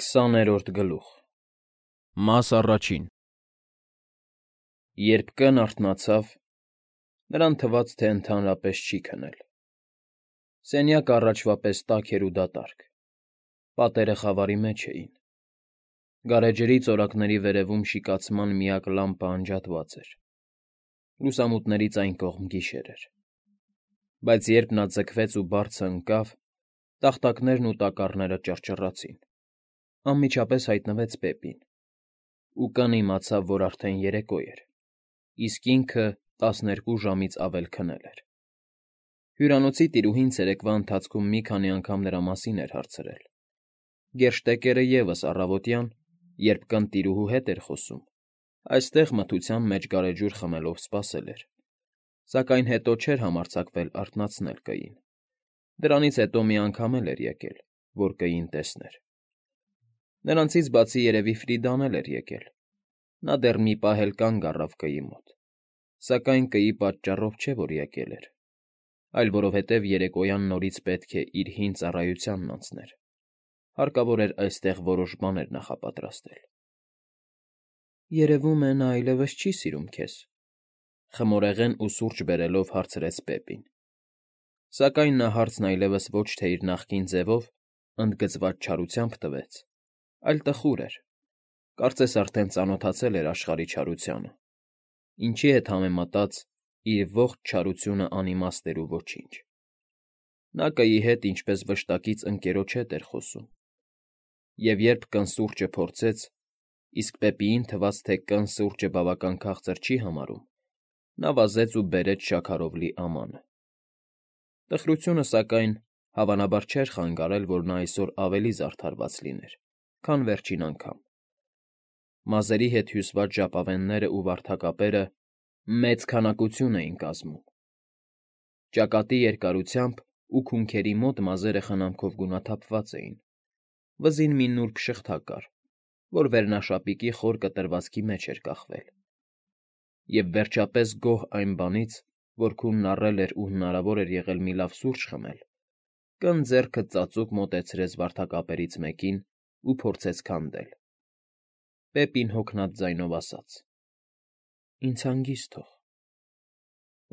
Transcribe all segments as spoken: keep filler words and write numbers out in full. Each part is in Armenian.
Քսաներորդ գլուխ Մաս առաջին Երբ կն արթնացավ, նրան թվաց, թե ընդհանրապես չի քնել. սենյակը առաջվա պես տաք էր ու դատարկ, պատերը խավարի մեջ էին, գարեջրի ծորակների վերևում շիկացման միակ լամպը անջատված էր, լուսամուտներից այն կողմ գիշեր էր, բայց երբ նա ձգվեց ու բարձը ընկավ, տախտակներն ու տակառները ճռճռացին, անմիջապես հայտնվեց Բեբին, ու կն իմացավ, որ արդեն երեկո էր, իսկ ինքը տասներկու ժամից ավել քնել էր. հյուրանոցի տիրուհին ցերեկվա ընթացքում մի քանի անգամ նրա մասին էր հարցրել, գերշտեկերը ևս առավոտյան, երբ կն տիրուհու հետ էր խոսում, այստեղ մթության մեջ գարեջուր խմելով սպասել էր, սակայն հետո չէր համարձակվել արթնացնել կին, դրանից հետո մի անգամ էլ էր եկել, որ կին տեսներ. Նրանցից բացի երևի Ֆրիդան էլ էր եկել, նա դեռ մի պահ էլ կանգ առավ կի մոտ, սակայն կիի պատճառով չէ, որ եկել էր, այլ որովհետև երեկոյան նորից պետք է իր հին ծառայությանն անցներ, հարկավոր էր այստեղ որոշ բաներ նախապատրաստել։ Երևում է, նա այլևս չի սիրում քեզ, խմորեղեն ու սուրճ բերելով հարցրեց Բեբին, սակայն նա հարցն այլևս ոչ թե իր նախկին ձևով, ընդգծված չարությամբ տվեց, այլ տխուր էր, կարծես արդեն ծանոթացել էր աշխարհի չարությանը, ինչի հետ համեմատած իր ողջ չարությունը անիմաստ էր ու ոչինչ։ Նա կիի հետ ինչպես վշտակից ընկերոջ հետ էր խոսում, և երբ կն սուրճը փորձեց, իսկ Բեբիին թվաց, թե կն սուրճը բավական քաղցր չի համարում, նա վազեց ու բերեց շաքարով լի ամանը։ Տխրությունը, սակայն, հավանաբար չէր խանգարել, որ նա այսօր ավելի զարդարված լիներ, քան վերջին անգամ։ Մազերի հետ հյուսված ժապավեններն ու վարդակապերը մեծ քանակություն էին կազմում։ Ճակատի երկարությամբ ու քունքերի մոտ մազերը խնամքով գունաթափված էին, վզին մի նուրբ շղթա կար, որ վերնաշապիկի խոր կտրվածքի մեջ էր կախվել։ Եվ վերջապես գոհ այն բանից, որ քունն առել էր ու հնարավոր էր եղել մի լավ սուրճ խմել, կն ձեռքը ծածուկ մոտեցրեց վարդակապերից մեկին ու փորձեց քանդել։ Բեբին հոգնած ձայնով ասաց. «Ինձ հանգիստ թող»,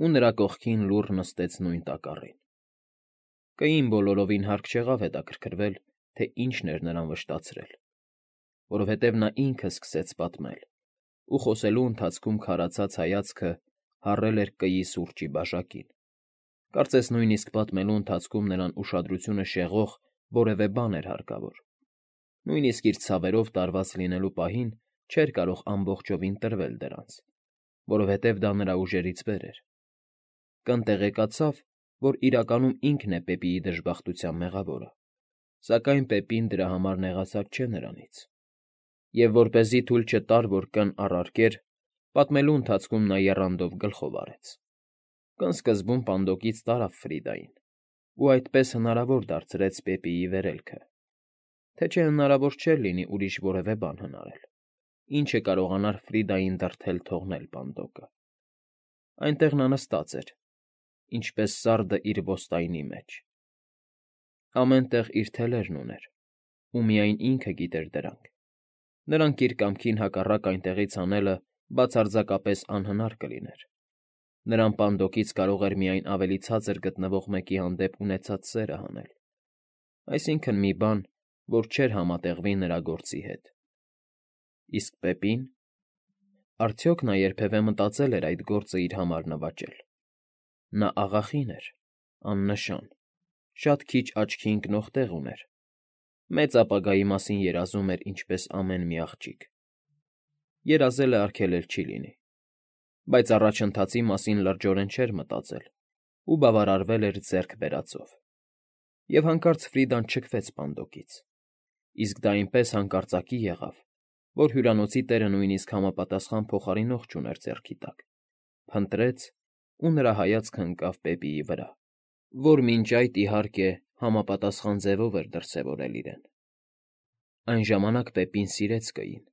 ու նրա կողքին լուռ նստեց նույն տակառին։ Կային բոլորովին հարկ չեղավ հետաքրքրվել, թե ինչն էր նրան վշտացրել, որովհետև նա ինքը սկսեց պատմել, ու խոսելու ընթացքում քարացած հայացքը հառել էր կիի սուրճի բաժակին, կարծես նույնիսկ պատմելու ընթացքում նրան ուշադրությունը շեղող որևէ բան էր հարկավոր, նույնիսկ իր ցավերով տարված լինելու պահին չէր կարող ամբողջովին տրվել դրանց, որովհետև դա նրա ուժերից վեր էր։ Կն տեղեկացավ, որ իրականում ինքն է Բեբիի դժբախտության մեղավորը, սակայն Բեբին դրա համար նեղացած չէ նրանից, և որպեսզի թույլ չտար, որ կն առարկեր, պատմելու ընթացքում նա եռանդով գլխով արեց։ Կն սկզբում պանդոկից տարավ Ֆրիդային, ու այդպես հնարավոր դարձրեց Բեբիի վերելքը, թե չէ հնարավոր չէր լինի ուրիշ որևէ բան հնարել, ինչը կարողանար Ֆրիդային դրդել թողնել պանդոկը։ Այնտեղ նա նստած էր, ինչպես սարդը իր ոստայնի մեջ։ Ամեն տեղ իր թելերն ուներ, ու միայն ինքը գիտեր դրանք, նրանք իր կամքին հակառակ այնտեղից հանելը բացարձակապես անհնար կլիներ, նրան պանդոկից կարող էր միայն ավելի ցածր գտնվող մեկի հանդեպ ունեցած սերը հանել, այսինքն՝ մի բան, որ չէր համատեղվի նրա գործի հետ։ Իսկ Բեբին… Արդյոք նա երբևէ մտածել էր այդ գործը իր համար նվաճել։ Նա աղախին էր, աննշան, շատ քիչ աչքի ընկնող տեղ ուներ, մեծ ապագայի մասին երազում էր ինչպես ամեն մի աղջիկ։ Երազելը արգելել չի լինի, բայց առաջընթացի մասին լրջորեն չէր մտածել ու բավարարվել էր ձեռք բերածով։ Եվ հանկարծ Ֆրիդան չքվեց պանդոկից, իսկ դա այնպես հանկարծակի եղավ, որ հյուրանոցի տերը նույնիսկ համապատասխան փոխարինող չուներ ձեռքի տակ, փնտրեց, ու նրա հայացքն ընկավ Բեբիի վրա, որ մինչ այդ, իհարկե, համապատասխան ձևով էր դրսևորել իրեն։ Այն ժամանակ Բեբին սիրեց կիին,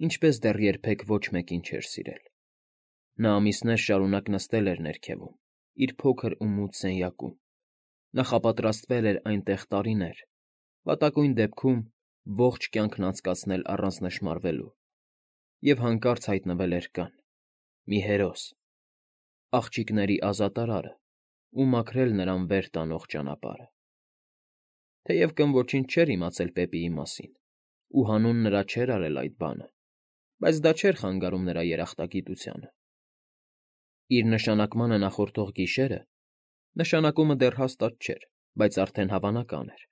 ինչպես դեռ երբեք ոչ մեկին չէր սիրել։ Նա ամիսներ շարունակ նստել էր ներքևում, իր փոքր ու մութ սենյակում, նախապատրաստվել էր այնտեղ տարիներ, վատակույն դեպքում ողջ կյանքն անցկացնել առանց նշմարվելու, և հանկարծ հայտնվել էր կան, մի հերոս, աղջիկների ազատարարը ու մաքրել նրան վեր տանող ճանապարհը։ Թեև կնոջինչ չէր իմացել Պեպիի մասին ու հանուն նրա չէր արել այդ բանը, բայց դա չէր խանգարում նրա երախտագիտությանը։ Իր նշանակմանը նախորդող գիշերը (նշանակումը դեռ հաստատ չէր, բայց արդեն հավանական էր)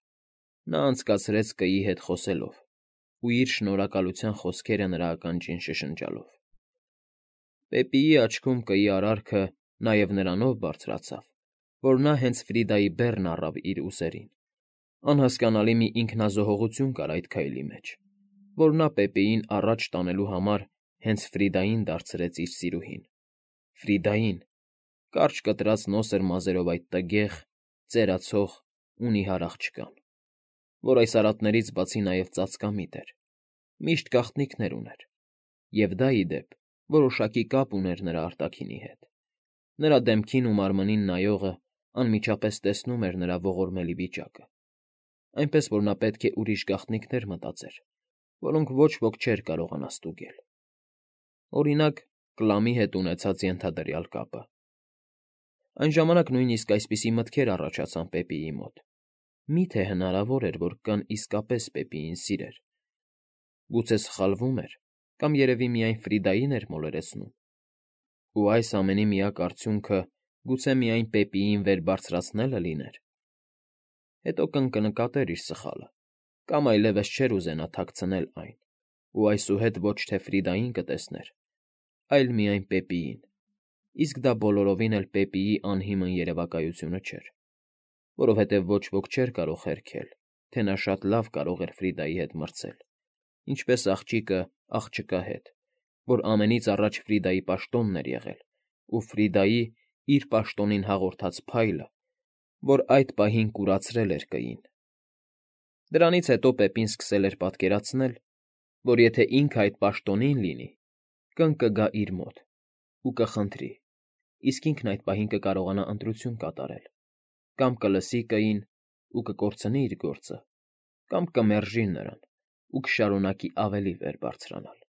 նա անցկացրեց կգի հետ խոսելով ու իր շնորհակալության խոսքերը նրա ականջին շշնջալով։ Պեպիի աչքում կգի արարքը նաև նրանով բարձրացավ, որ նա հենց Ֆրիդայի բեռն առավ իր ուսերին. անհասկանալի մի ինքնազոհողություն կար այդ քայլի մեջ, որ նա Պեպիին առաջ տանելու համար հենց Ֆրիդային դարձրեց իր սիրուհին, Ֆրիդային, կարճ կտրած նոսր մազերով այդ տգեղ, ծերացող ու նիհար աղջկան, որ այս արատներից բացի նաև ծածկամիտ էր, միշտ գաղտնիքներ ուներ, և դա, ի դեպ, որոշակի կապ ուներ նրա արտաքինի հետ. նրա դեմքին ու մարմնին նայողը անմիջապես տեսնում էր նրա ողորմելի վիճակը, այնպես որ նա պետք է ուրիշ գաղտնիքներ մտածեր, որոնք ոչ ոք չէր կարողանա ստուգել։ Օրինակ, Կլամի հետ ունեցած ենթադրյալ կապը։ Այն ժամանակ նույնիսկ այսպիսի մտքեր առաջացան Պեպիի մոտ. մի՞թե հնարավոր էր, որ կան իսկապես Պեպիին սիրեր։ Գուցե սխալվում էր, կամ երևի միայն Ֆրիդային էր մոլորեցնում։ Ու այս ամենի միակ արդյունքը գուցե միայն Պեպիին վեր բարձրացնելը լիներ։ Հետո կընկնկատեր իր սխալը, կամ այլևս չէր ուզենա թաքցնել այն, ու այսուհետ ոչ թե Ֆրիդային կտեսներ, այլ միայն Պեպիին, իսկ դա բոլորովին էլ Պեպիի անհիմն երևակայությունը չէր, որովհետև ոչ ոք չէր կարող հերքել, թե նա շատ լավ կարող էր Ֆրիդայի հետ մրցել, ինչպես աղջիկը աղջկա հետ, որ ամենից առաջ Ֆրիդայի պաշտոնն էր եղել, ու Ֆրիդայի իր պաշտոնին հաղորդած փայլը, որ այդ պահին կուրացրել էր կգին։ Դրանից հետո Պեպին սկսել էր պատկերացնել, որ եթե ինքը այդ պաշտոնին լինի, կընկգա իր մոտ ու կխնդրի, իսկ ինքն այդ պահին կկարողանա ընտրություն կատարել, կամ կլսի կգին ու կկորցնի իր գործը, կամ կմերժի նրան ու կշարունակի ավելի վեր բարձրանալ։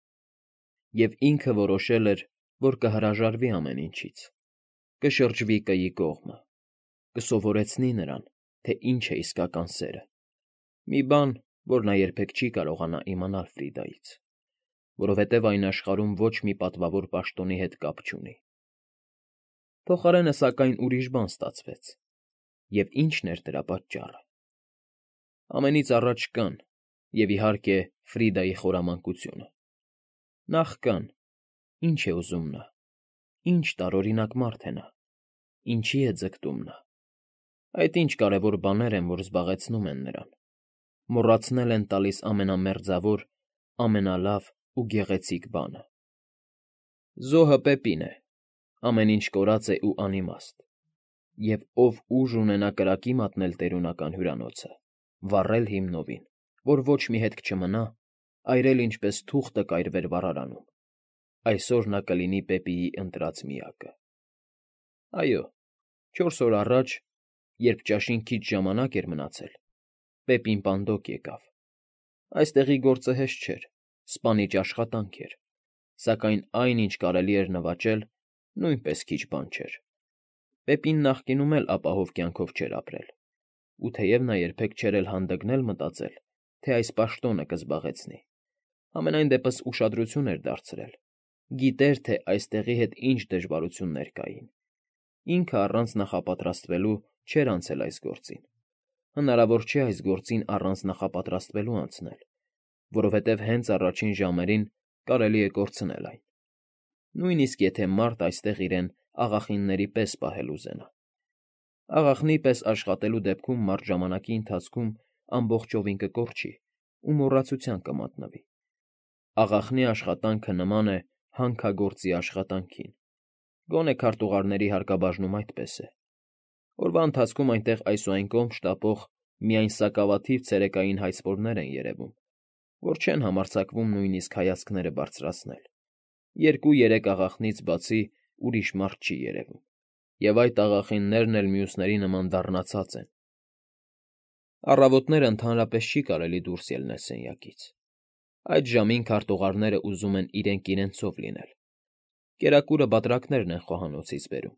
Եվ ինքը որոշել էր, որ կհրաժարվի ամեն ինչից, կշրջվի կգի կողմը, կսովորեցնի նրան, թե ինչ է իսկական սերը, մի բան, որ նա երբեք չի կարողանա իմանալ Ֆրիդայից, որովհետև այն աշխարհում ոչ մի պատվավոր պաշտոնի հետ կապ չունի։ Փոխարենը, սակայն, ուրիշ բան ստացվեց, և ի՞նչն էր դրա պատճառը։ Ամենից առաջ կան, և, իհարկե, Ֆրիդայի խորամանկությունը։ Նախ կան, ի՞նչ է ուզում նա, ի՞նչ տարօրինակ մարդ է նա, ինչի՞ է ձգտում նա։ Այդ ինչ կարևոր բաներ են, որ զբաղեցնում են նրան, մոռացնել են տալիս ամենամերձավոր, ամենալավ ու գեղեցիկ բանը։ Զոհը Պեպին է, ամեն ինչ կորած է ու անիմաստ, և ով ուժ ունենա կրակի մատնել տերունական հյուրանոցը, վառել հիմնովին, որ ոչ մի հետք չմնա, այրել ինչպես թուղթը կայրվեր վառարանում, այսօր նա կլինի Պեպիի ընտրած միակը։ Այո, չորս օր առաջ, երբ ճաշին քիչ ժամանակ էր մնացել, Պեպին պանդոկ եկավ։ Այստեղի գործը հեշտ չէր, սպանիչ աշխատանք էր, սակայն այն, ինչ կարելի էր նվաճել, նույնպես քիչ բան չէր։ Պեպին նախկինում էլ ապահով կյանքով չէր ապրել, ու թեև նա երբեք չէր էլ հանդգնել մտածել, թե այս պաշտոնը կզբաղեցնի, համենայն դեպս ուշադրություն էր դարձրել, գիտեր, թե այստեղի հետ ինչ դժվարություններ կային։ Ինքը առանց նախապատրաստվելու չէր անցել այս գործին։ Հնարավոր չէ այս գործին առանց նախապատրաստվելու անցնել, որովհետև հենց առաջին ժամերին կարելի է կորցնել այն, նույնիսկ եթե մարդ այստեղ իրեն աղախինների պես պահել ուզենա։ Աղախնի պես աշխատելու դեպքում մարդ ժամանակի ընթացքում ամբողջովին կկորչի ու մոռացության կմատնվի։ Աղախնի աշխատանքը նման է հանքագործի աշխատանքին, գոնե քարտուղարների հարկաբաժնում այդպես է։ Օրվա ընթացքում այնտեղ այս ու այն կողմ շտապող միայն սակավաթիվ ցերեկային հայցվորներ են երևում, որ չեն համարձակվում նույնիսկ հայացքները բարձրացնել։ Երկու֊երեք աղախնից բացի ուրիշ մարդ չի երևում, և այդ աղախիններն էլ մյուսների նման դառնացած են։ Առավոտները ընդհանրապես չի կարելի դուրս ելնել սենյակից։ Այդ ժամին քարտուղարները ուզում են իրենք իրենցով լինել։ Կերակուրը բատրակներն են խոհանոցից բերում։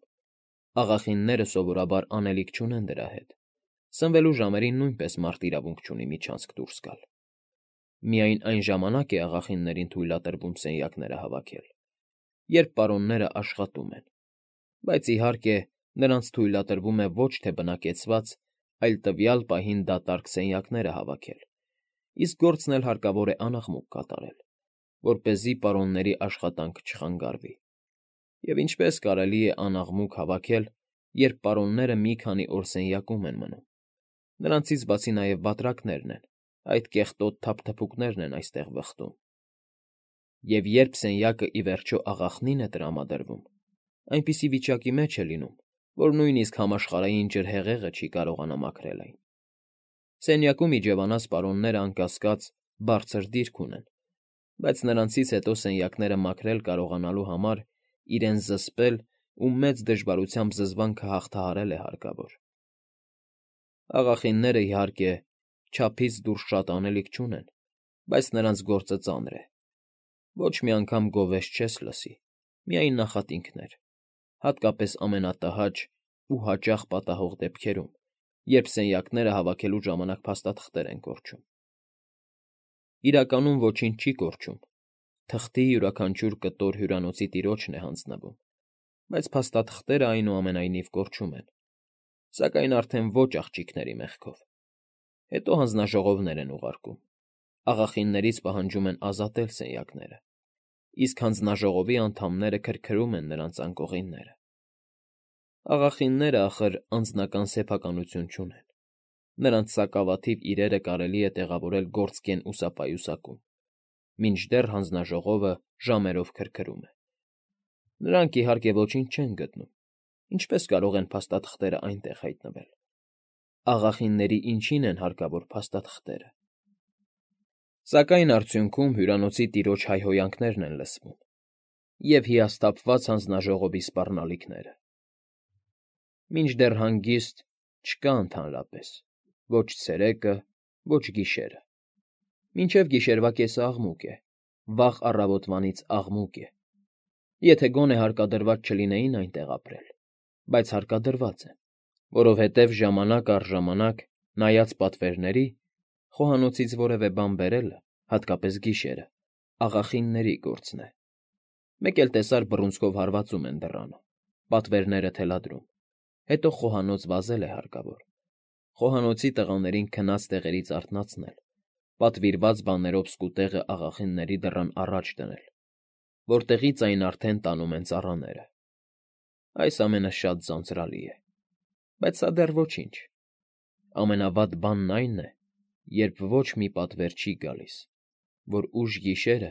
Աղախինները սովորաբար անելիք չունեն դրա հետ։ Սնվելու ժամերին նույնպես մարդ իրավունք չունի միջանցք դուրս գալ։ Միայն այն ժամանակ է աղախիններին թույլատրվում սենյակները հավաքել, երբ պարոնները աշխատում են, բայց իհարկե նրանց թույլատրվում է ոչ թե բնակեցված, այլ տվյալ պահին դատարկ սենյակները հավաքել, իսկ գործն էլ հարկավոր է անաղմուկ կատարել, որպեսզի պարոնների աշխատանքը չխանգարվի։ Եվ ինչպես կարելի է անաղմուկ հավաքել, երբ պարոնները մի քանի օր սենյակում են մնում։ Նրանցից բացի նաև բատրակներն են, այդ կեղտոտ թափթփուկներն են այստեղ վխտում։ Եվ երբ սենյակը ի վերջո աղախնին է տրամադրվում, այնպիսի վիճակի մեջ է լինում, որ նույնիսկ համաշխարհային ջրհեղեղը չի կարողանա մաքրել այն։ Սենյակում իջևանած պարոնները անկասկած բարձր դիրք ունեն, բայց նրանցից հետո սենյակները մաքրել կարողանալու համար իրեն զսպել ու մեծ դժվարությամբ զզվանքը հաղթահարել է հարկավոր։ Աղախինները, իհարկե, չափից դուրս շատ անելիք չունեն, բայց նրանց գործը ծանր է։ Ոչ մի անգամ գովեստ չես լսի, միայն նախատինքներ, հատկապես ամենատհաճ ու հաճախ պատահող դեպքերում, երբ սենյակները հավաքելու ժամանակ փաստաթղթեր են կորչում։ Իրականում ոչինչ չի կորչում, թղթի յուրաքանչյուր կտոր հյուրանոցի տիրոջն է հանձնվում, բայց փաստաթղթերը այնուամենայնիվ կորչում են, սակայն արդեն ոչ աղջիկների մեղքով։ Հետո հանձնաժողովներ են ուղարկում, աղախիններից պահանջում են ազատել սենյակները, իսկ հանձնաժողովի անդամները քրքրում են նրանց անկողինները։ Աղախինները, ախր, անձնական սեփականություն չունեն։ Նրանց սակավաթիվ իրերը կարելի է տեղավորել գործկեն ուսապայուսակում, մինչդեռ հանձնաժողովը ժամերով քրքրում է։ Նրանք, իհարկե, ոչինչ չեն գտնում, ինչպես կարող են փաստաթղթերը այնտեղ հայտնվել։ Աղախինների ինչին են հարկավոր փաստաթղթերը։ Սակայն արդյունքում հյուրանոցի տիրոջ հայհոյանքներն են լսվում և հիասթափված հանձնաժողովի սպառնալիքները։ Մինչդեռ հանգիստ չկա ընդհանրապես, ոչ ցերեկը, ոչ գիշերը։ Մինչև գիշերվա կեսը աղմուկ է, վաղ առավոտվանից աղմուկ է։ Եթե գոնե հարկադրված չլինեին այնտեղ ապրել, բայց հարկադրված են, որովհետև ժամանակ առ ժամանակ, նայած պատվերների, խոհանոցից որևէ բան բերելը, հատկապես գիշերը, աղախինների գործն է։ Մեկ էլ տեսար բռունցքով հարվածում են դռանը, պատվերները թելադրում, հետո խոհանոց վազել է հարկավոր, խոհանոցի տղաներին քնած տեղերից արթնացնել, պատվիրված բաներով սկուտեղը աղախինների դռան առաջ դնել, որտեղից այն արդեն տանում են ծառաները։ Այս ամենը շատ ձանձրալի է, բայց սա դեռ ոչինչ։ Ամենավատ բանն այն է, երբ ոչ մի պատվեր չի գալիս, որ ուշ գիշերը,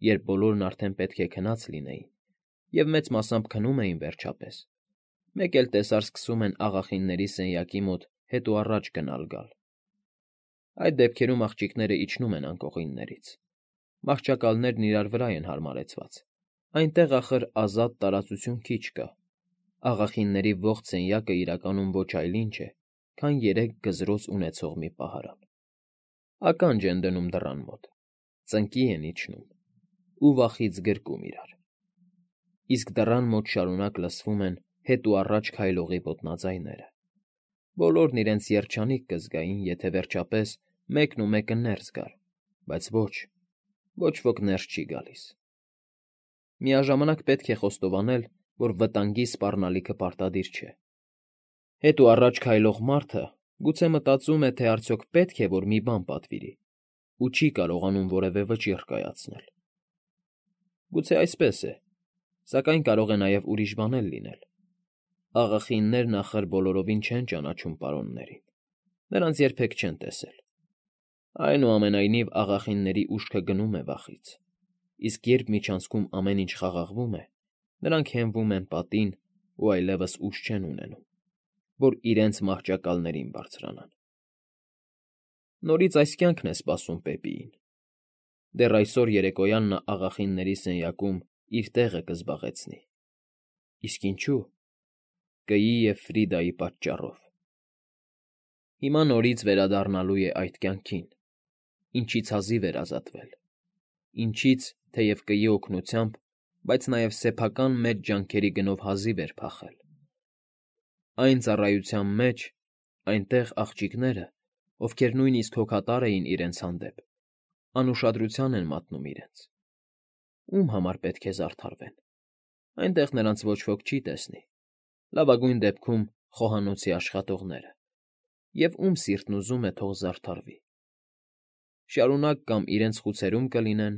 երբ բոլորն արդեն պետք է քնած լինեին, և մեծ մասամբ քնում էին վերջապես, մեկ էլ տեսար սկսում են աղախինների սենյակի մոտ հետ ու առաջ գնալ֊գալ։ Այդ դեպքերում աղջիկները իջնում են անկողիններից։ Մահճակալներն իրար վրա են հարմարեցված, այնտեղ, ախր, ազատ տարածություն քիչ կա։ Աղախինների ողջ սենյակը իրականում ոչ այլ ինչ է, քան երեք գզրոց ունեցող մի պահարան։ Ականջ են դնում դռան մոտ, ծնկի են իջնում ու վախից գրկում իրար։ Իսկ դռան մոտ շարունակ լսվում են հետ ու առաջ քայլողի ոտնաձայները։ Բոլորն իրենց երջանիկ կզգային, եթե վերջապես մեկն ու մեկը ներս գար, բայց ոչ, ոչ ոք ներս չի գալիս։ Միաժամանակ պետք է խոստովանել, որ վտանգի սպառնալիքը պարտադիր չէ։ Հետ ու առաջ քայլող մարդը գուցե մտածում է, թե արդյոք պետք է, որ մի բան պատվիրի, ու չի կարողանում որևէ վճիռ կայացնել։ Գուցե այսպես է, սակայն կարող է նաև ուրիշ բան էլ լինել։ Աղախիններն, ախր, բոլորովին չեն ճանաչում պարոններին, նրանց երբեք չեն տեսել։ Այնուամենայնիվ, աղախինների ուշքը գնում է վախից, իսկ երբ միջանցքում ամեն ինչ խաղաղվում է, նրանք հենվում են պատին ու այլևս ուժ չեն ունենում, որ իրենց մահճակալներին բարձրանան։ Նորից այս կյանքն է սպասում Պեպիին։ Դեռ այսօր երեկոյան նա աղախինների սենյակում իր տեղը կզբաղեցնի։ Իսկ ինչու՞։ Կըի և Ֆրիդայի պատճառով։ Հիմա նորից վերադառնալու է այդ կյանքին, ինչից հազիվ էր ազատվել, ինչից, թեև կգի օգնությամբ, բայց նաև սեփական մեծ ջանքերի գնով հազիվ էր փախել։ Այն ծառայության մեջ, այնտեղ աղջիկները, ովքեր նույնիսկ հոգատար էին իրենց հանդեպ, անուշադրության են մատնում իրենց։ Ում համար պետք է զարդարվեն։ Այնտեղ նրանց ոչ ոք չի տեսնի, լավագույն դեպքում խոհանոցի աշխատողները, և ում սիրտն ուզում է թող զարդարվի։ Շարունակ կամ իրենց խուցերում կլինեն,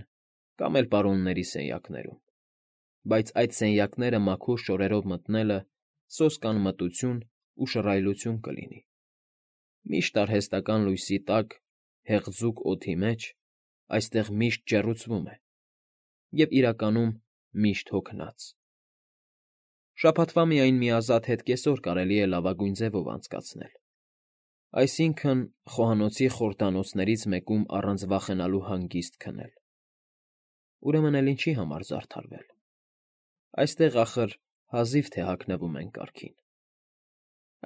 կամ էլ պարոնների սենյակներում, բայց այդ սենյակները մաքուր շորերով մտնելը սոսկալմտություն ու շռայլություն կլինի։ Միշտ արհեստական լույսի տակ, հեղձուկ օդի մեջ, այստեղ միշտ ջեռուցվում է, և իրականում միշտ հոգնած։ Շաբաթվա միայն մի ազատ հետկեսօր կարելի է լավագույն ձևով անցկացնել, այսինքն՝ խոհանոցի խորհրդանոցներից մեկում առանց վախենալու հանգիստ քնել։ Ուրեմն էլ ինչի համար զարդարվել։ Այստեղ, ախր, հազիվ թե հագնվում են կարգին։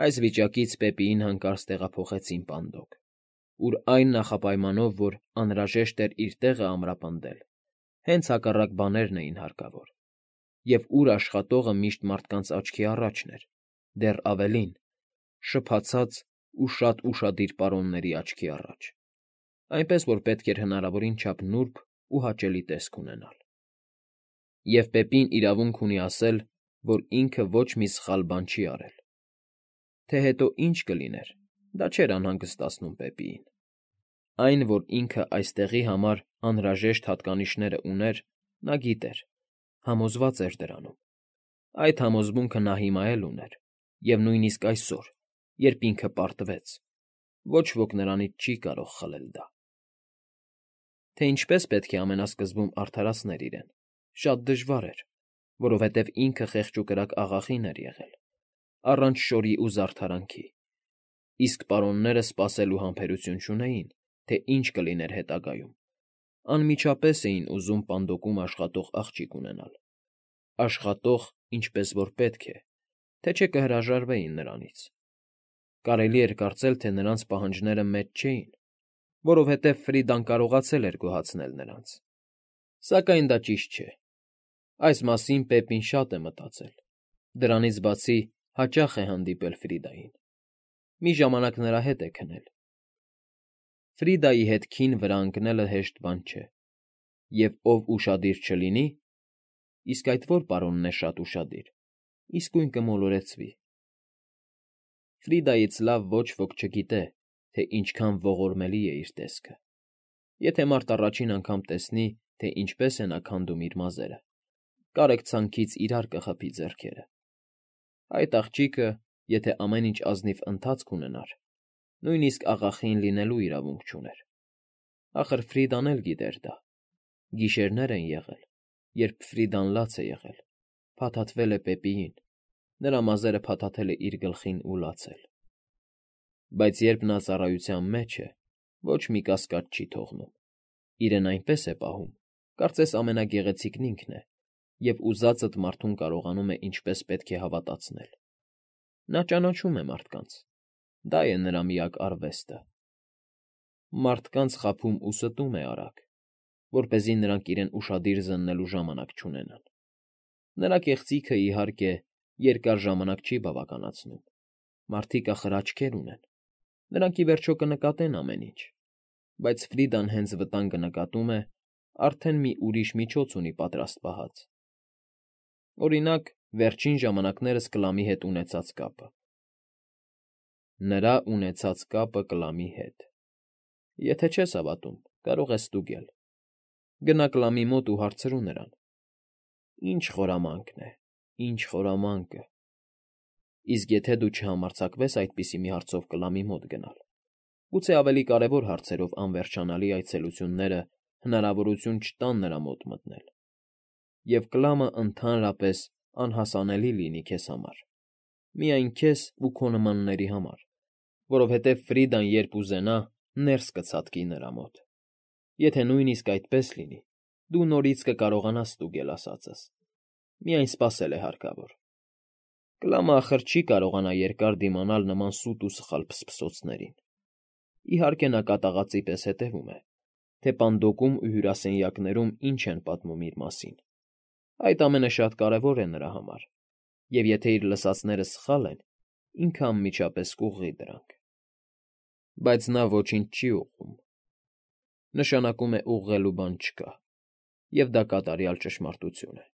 Այս վիճակից Պեպիին հանկարծ տեղափոխեցին պանդոկ, ուր այն նախապայմանով, որ անհրաժեշտ էր իր տեղը ամրապնդել, հենց հակառակ բաներն էին հարկավոր, և ուր աշխատողը միշտ մարդկանց աչքի առաջն էր, դեռ ավելին՝ շփացած ու շատ ուշադիր պարոնների աչքի առաջ, այնպես որ պետք էր հնարավորին չափ նուրբ ու հաճելի տեսք ունենալ։ Եվ Պեպին իրավունք ունի ասել, որ ինքը ոչ մի սխալ բան չի արել։ Թե հետո ինչ կլիներ, դա չէր անհանգստացնում Պեպիին։ Այն, որ ինքը այստեղի համար անհրաժեշտ հատկանիշները ուներ, նա գիտեր, համոզված էր դրանում։ Այդ համոզմունքը նա հիմա էլ ուներ, և նույնիսկ այսօր, երբ ինքը պարտվեց, ոչ ոք նրանից չի կարող խլել դա։ Թե ինչպես պետք է ամենասկզբում արդարացներ իրեն, շատ դժվար էր, որովհետև ինքը խեղճուկրակ աղախին էր եղել, առանց շորի ու զարդարանքի, իսկ պարոնները սպասելու համբերություն չունեին, թե ինչ կլիներ հետագայում, անմիջապես էին ուզում պանդոկում աշխատող աղջիկ ունենալ, աշխատող, ինչպես որ պետք է, թե չէ կհրաժարվեին նրանից։ Կարելի էր կարծել, թե նրանց պահանջները մեծ չէին, որովհետև Ֆրիդան կարողացել էր գոհացնել նրանց։ Սակայն դա ճիշտ չէ։ Այս մասին Պեպին շատ է մտածել, դրանից բացի հաճախ է հանդիպել Ֆրիդային։ Մի ժամանակ նրա հետ է քնել։ Ֆրիդայի հետ քին վրա ընկնելը հեշտ բան չէ, և ով ուշադիր չլինի, իսկ այդ ո՞ր պարոնն է շատ ուշադիր, իսկույն կմոլորեցվի։ Ֆրիդայից լավ ոչ ոք չգիտե, թե ինչքան ողորմելի է իր տեսքը։ Եթե մարդ առաջին անգամ տեսնի, թե ինչպես է նա քանդում իր մազերը, կարեկցանքից իրար կխփի ձեռքերը։ Այդ աղջիկը, եթե ամեն ինչ ազնիվ ընթացք ունենար, նույնիսկ աղախին լինելու իրավունք չուներ։ Ախր Ֆրիդան էլ գիտեր դա։ Գիշերներ են եղել, երբ Ֆրիդան լաց է եղել, փաթաթվել է Պեպիին, նրա մազերը փաթաթել է իր գլխին ու լացել։ Բայց երբ նա ծառայության մեջ է, ոչ մի կասկած չի թողնում, իրեն այնպես է պահում, կարծես ամենագեղեցիկն ինքն է, և ուզածդ մարդուն կարողանում է ինչպես պետք է հավատացնել։ Նա ճանաչում է մարդկանց, դա է նրա միակ արվեստը։ Մարդկանց խաբում ու ստում է արագ, որպեսզի նրանք իրեն ուշադիր զննելու ժամանակ չունենան։ Նրա կեղծիքը, իհարկե, երկար ժամանակ չի բավականացնում։ Մարդիկ ախր աչքեր ունեն, նրանք ի վերջո կնկատեն ամեն ինչ, բայց Ֆրիդան հենց վտանգը նկատում է, արդեն մի ուրիշ միջոց ունի պատրաստ պահած։ Օրինակ, վերջին ժամանակներս Կլամի հետ ունեցած կապը։ Նրա ունեցած կապը Կլամի հետ։ Եթե չես հավատում, կարող ես ստուգել։ Գնա Կլամի մոտ ու հարցրու նրան. Ինչ խորամանկն է, ինչ խորամանկը։ Իսկ եթե դու չհամարձակվես այդպիսի մի հարցով Կլամի մոտ գնալ, գուցե ավելի կարևոր հարցերով անվերջանալի այցելությունները հնարավորություն չտան նրա մոտ մտնել, և Կլամը ընդհանրապես անհասանելի լինի քեզ համար, միայն քեզ ու քո նմանների համար, որովհետև Ֆրիդան երբ ուզենա, ներս կցատկի նրա մոտ։ Եթե նույնիսկ այդպես լինի, դու նորից կկարողանաս ստուգել ասածս, միայն սպասել է հարկավոր։ Կլամը ախր չի կարողանա երկար դիմանալ նման սուտ ու սխալ փսփսոցներին։ Իհարկե նա կատաղածի պես հետևում է, թե պանդոկում ու հյուրասենյակներում ինչ են պատմում իր մասին. այդ ամենը շատ կարևոր է նրա համար, և եթե իր լսածները սխալ են, ինքը անմիջապես կուղղի դրանք։ Բայց նա ոչինչ չի ուղղում. նշանակում է ուղղելու բան չկա, և դա կատարյալ ճշմարտություն է։